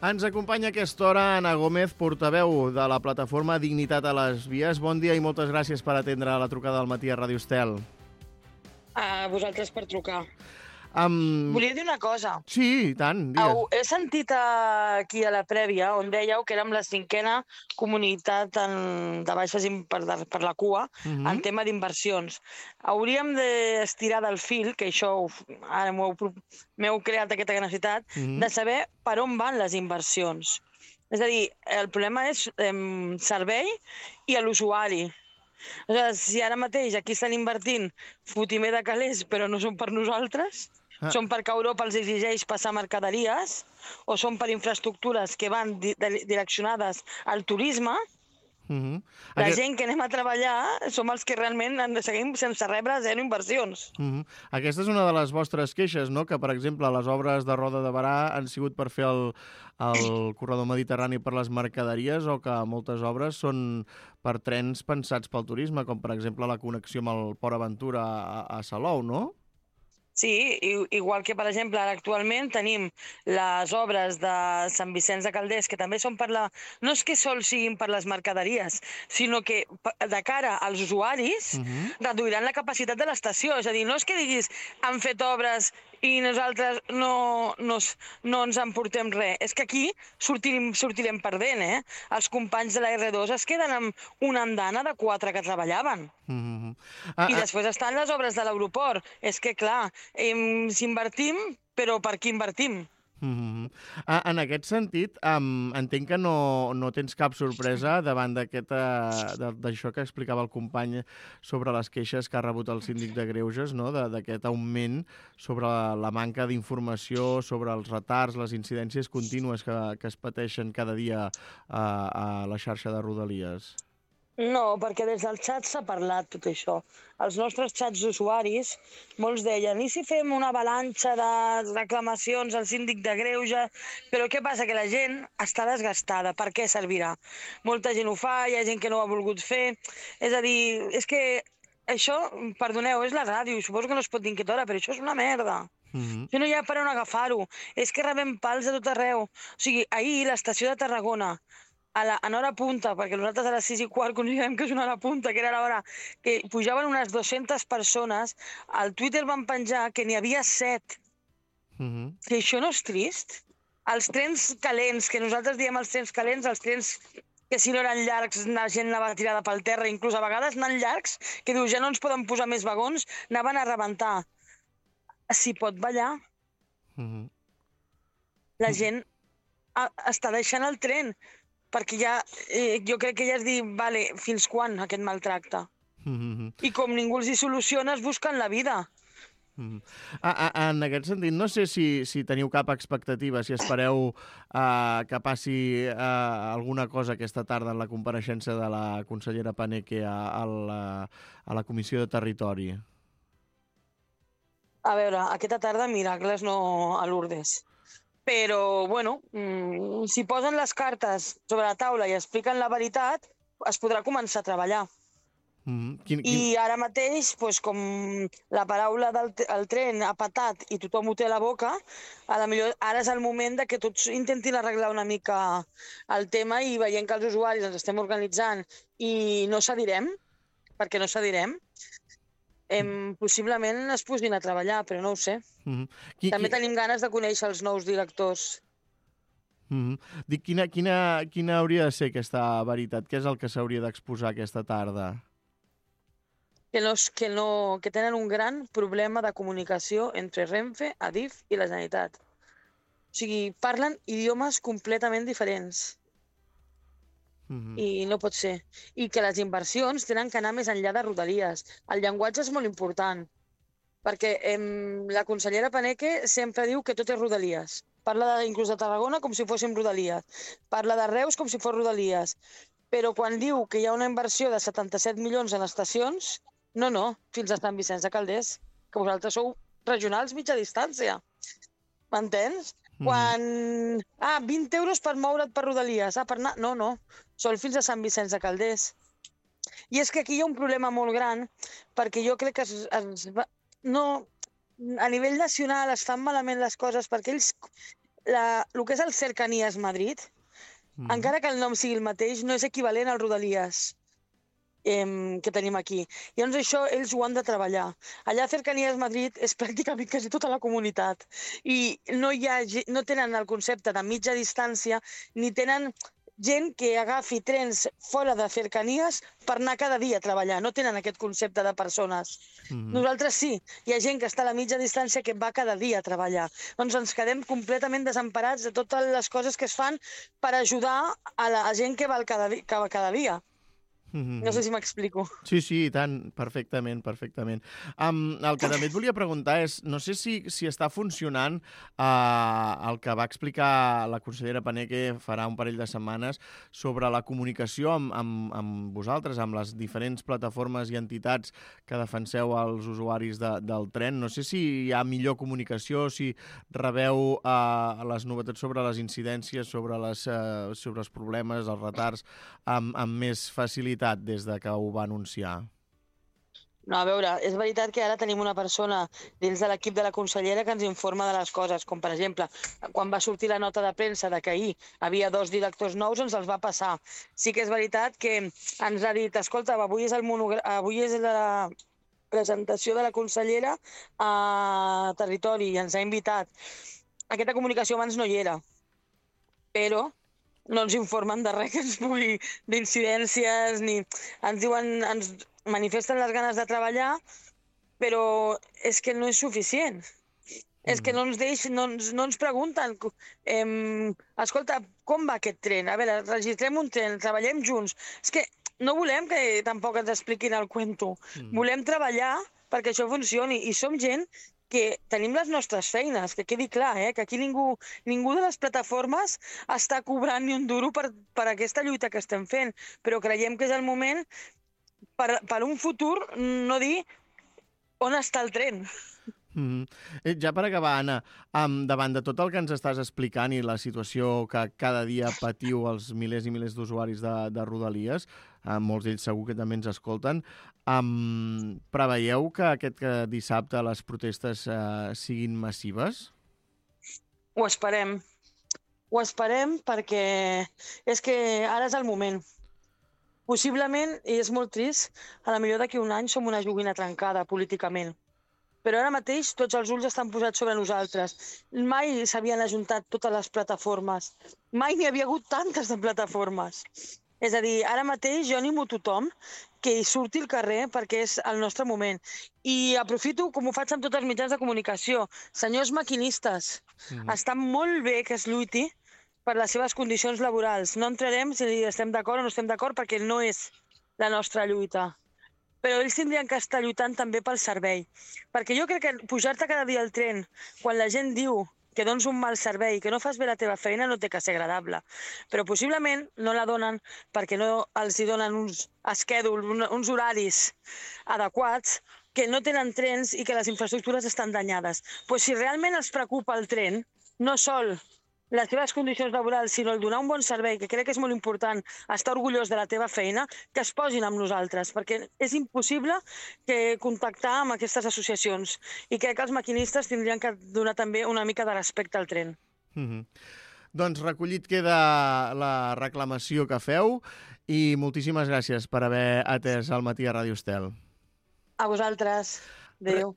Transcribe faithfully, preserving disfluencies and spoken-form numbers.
Ens acompanya a aquesta hora Anna Gómez, portaveu de la plataforma Dignitat a les Vies. Bon dia i moltes gràcies per atendre la trucada del matí a Ràdio Estel. A vosaltres per trucar. Um... Volia dir una cosa. Sí, i tant, digues. Au, he sentit aquí a la prèvia on dèieu que érem la cinquena comunitat en, de baixes per, per la cua uh -huh. en tema d'inversions. Hauríem d'estirar del fil, que això ara m'heu creat aquesta necessitat, uh -huh. de saber per on van les inversions. És a dir, el problema és eh, servei i a l'usuari. O sigui, si ara mateix aquí estan invertint fotimer de calés, però no són per nosaltres, ah. són perquè Europa els exigeix passar mercaderies, o són per infraestructures que van di direccionades al turisme, uh-huh. la Aquest... gent que anem a treballar som els que realment en seguim sense rebre zero inversions. Uh-huh. Aquesta és una de les vostres queixes, no? Que, per exemple, les obres de Roda de Barà han sigut per fer el, el corredor mediterrani per les mercaderies, o que moltes obres són per trens pensats pel turisme, com per exemple la connexió amb el Port Aventura a, a Salou, no? Sí, igual que, per exemple, ara actualment tenim les obres de Sant Vicenç de Calders, que també són per la... No és que sols siguin per les mercaderies, sinó que de cara als usuaris uh-huh. reduiran la capacitat de l'estació. És a dir, no és que diguis han fet obres i nosaltres no, no, no ens emportem res. És que aquí sortirem, sortirem perdent, eh? Els companys de la erre dos es queden amb una andana de quatre que treballaven. Uh-huh. ah, I després ah. estan les obres de l'aeroport. És que, clar, eh, si invertim, però per qui invertim? Uh-huh. ah, en aquest sentit, um, entenc que no, no tens cap sorpresa davant d'això que explicava el company sobre les queixes que ha rebut el síndic de Greuges, no? D'aquest augment sobre la, la manca d'informació, sobre els retards, les incidències contínues que, que es pateixen cada dia a, a la xarxa de Rodalies. No, perquè des del xat s'ha parlat tot això. Els nostres xats d'usuaris, molts deien, i si fem una avalanxa de reclamacions al síndic de Greuges? Però què passa? Que la gent està desgastada. Per què servirà? Molta gent ho fa, hi ha gent que no ho ha volgut fer. És a dir, és que això, perdoneu, és la ràdio, suposo que no es pot dir en aquesta hora, però això és una merda. Uh-huh. Això no hi ha per on agafar-ho. És que rebem pals de tot arreu. O sigui, ahir l'estació de Tarragona, A la, en hora punta, perquè nosaltres a les sis i quart considerem que és una hora punta, que era l'hora que pujaven unes dues-centes persones, al Twitter van penjar que n'hi havia set. Uh-huh. Si això no és trist? Els trens calents, que nosaltres diem els trens calents, els trens que si no eren llargs la gent anava tirada pel terra, inclús a vegades anant llargs, que diu ja no ens poden posar més vagons, anaven a rebentar. S'hi pot ballar. Uh-huh. La gent a, està deixant el tren, perquè ja, eh, jo crec que ja es diu, vale, fins quan aquest maltracte? Mm-hmm. I com ningú els hi soluciona, es busquen la vida. Mm-hmm. ah, ah, en aquest sentit, no sé si, si teniu cap expectativa, si espereu uh, que passi uh, alguna cosa aquesta tarda en la compareixença de la consellera Paneque a, a, la, a la Comissió de Territori. A veure, aquesta tarda miracles no a Lourdes. Però, bueno, mmm, si posen les cartes sobre la taula i expliquen la veritat, es podrà començar a treballar. Mm-hmm. quin, quin... I ara mateix, pues, com la paraula del el tren ha patat i tothom ho té a la boca, a la millor ara és el moment de que tots intentin arreglar una mica el tema i veient que els usuaris ens estem organitzant i no cedirem, perquè no cedirem, Em, possiblement es posin a treballar, però no ho sé. Mm-hmm. qui, També qui... tenim ganes de conèixer els nous directors. Mm-hmm. Dic, quina, quina, quina hauria de ser aquesta veritat? Què és el que s'hauria d'exposar aquesta tarda? Que, no, que, no, que tenen un gran problema de comunicació entre Renfe, Adif i la Generalitat. O sigui, parlen idiomes completament diferents. Mm-hmm. I no pot ser. I que les inversions tenen que anar més enllà de Rodalies. El llenguatge és molt important, perquè em, la consellera Paneque sempre diu que tot és Rodalies. Parla de, inclús de Tarragona com si fóssim Rodalies. Parla de Reus com si fos Rodalies. Però quan diu que hi ha una inversió de setanta-set milions en estacions, no, no, fins a Sant Vicenç de Calders, que vosaltres sou regionals mitja distància. M'entens? Quan... Ah, vint euros per moure't per Rodalies. Ah, per anar... No, no. Són fins a Sant Vicenç de Calders. I és que aquí hi ha un problema molt gran, perquè jo crec que es, es, no, a nivell nacional es fan malament les coses, perquè ells la, el que és el Cercanías Madrid, mm. encara que el nom sigui el mateix, no és equivalent al Rodalies eh, que tenim aquí. Llavors això ells ho han de treballar. Allà a Cercanías Madrid és pràcticament quasi tota la comunitat i no, hi ha, no tenen el concepte de mitja distància ni tenen gent que agafi trens fora de Cercanías per anar cada dia a treballar. No tenen aquest concepte de persones. Mm-hmm. Nosaltres sí. Hi ha gent que està a la mitja distància que va cada dia a treballar. Doncs ens quedem completament desemparats de totes les coses que es fan per ajudar a la gent que va cada, que va cada dia. No sé si m'explico. Sí, sí, i tant, perfectament, perfectament. Um, el que també et volia preguntar és, no sé si, si està funcionant uh, el que va explicar la consellera Paneque farà un parell de setmanes sobre la comunicació amb, amb, amb vosaltres, amb les diferents plataformes i entitats que defenseu els usuaris de, del tren. No sé si hi ha millor comunicació, si rebeu uh, les novetats sobre les incidències, sobre, les, uh, sobre els problemes, els retards, amb, amb més facilitat des de que ho va anunciar? No, a veure, és veritat que ara tenim una persona dins de l'equip de la consellera que ens informa de les coses, com per exemple, quan va sortir la nota de premsa de que ahir havia dos directors nous, ens els va passar. Sí que és veritat que ens ha dit, escolta, avui és, el monogra... avui és la presentació de la consellera a Territori i ens ha invitat. Aquesta comunicació abans no hi era, però no ens informen de res que ens pugui, d'incidències, ni ens diuen, ens manifesten les ganes de treballar, però és que no és suficient. Mm. És que no ens deix, no ens, no ens pregunten, eh, escolta, com va aquest tren? A veure, registrem un tren, treballem junts. És que no volem que tampoc ens expliquin el cuento. Mm. Volem treballar perquè això funcioni i som gent que tenim les nostres feines, que quedi clar, eh? Que aquí ningú, ningú de les plataformes està cobrant ni un duro per, per aquesta lluita que estem fent, però creiem que és el moment per, per un futur no dir on està el tren. Mm-hmm. Ja per acabar, Anna, um, davant de tot el que ens estàs explicant i la situació que cada dia patiu els milers i milers d'usuaris de, de Rodalies, uh, molts d'ells segur que també ens escolten, um, preveieu que aquest que dissabte les protestes uh, siguin massives? Ho esperem. Ho esperem perquè és que ara és el moment. Possiblement, i és molt trist, a la millor d'aquí un any som una joguina trencada políticament. Però ara mateix tots els ulls estan posats sobre nosaltres. Mai s'havien ajuntat totes les plataformes. Mai n'hi havia hagut tantes de plataformes. És a dir, ara mateix jo animo tothom que hi surti al carrer perquè és el nostre moment. I aprofito, com ho faig amb tots els mitjans de comunicació, senyors maquinistes, mm. està molt bé que es lluiti per les seves condicions laborals. No entrarem si estem d'acord o no estem d'acord perquè no és la nostra lluita. Però ells tindrien que estar lluitant també pel servei. Perquè jo crec que pujar-te cada dia al tren, quan la gent diu que dones un mal servei, que no fas bé la teva feina, no té que ser agradable. Però possiblement no la donen perquè no els hi donen uns schedule, uns horaris adequats, que no tenen trens i que les infraestructures estan danyades. Pues si realment els preocupa el tren, no sol les teves condicions laborals, sinó el donar un bon servei, que crec que és molt important estar orgullós de la teva feina, que es posin amb nosaltres, perquè és impossible que contactar amb aquestes associacions. I crec que els maquinistes tindrien que donar també una mica de respecte al tren. Mm-hmm. Doncs recollit queda la reclamació que feu i moltíssimes gràcies per haver atès al matí a Ràdio Estel. A vosaltres. Adéu.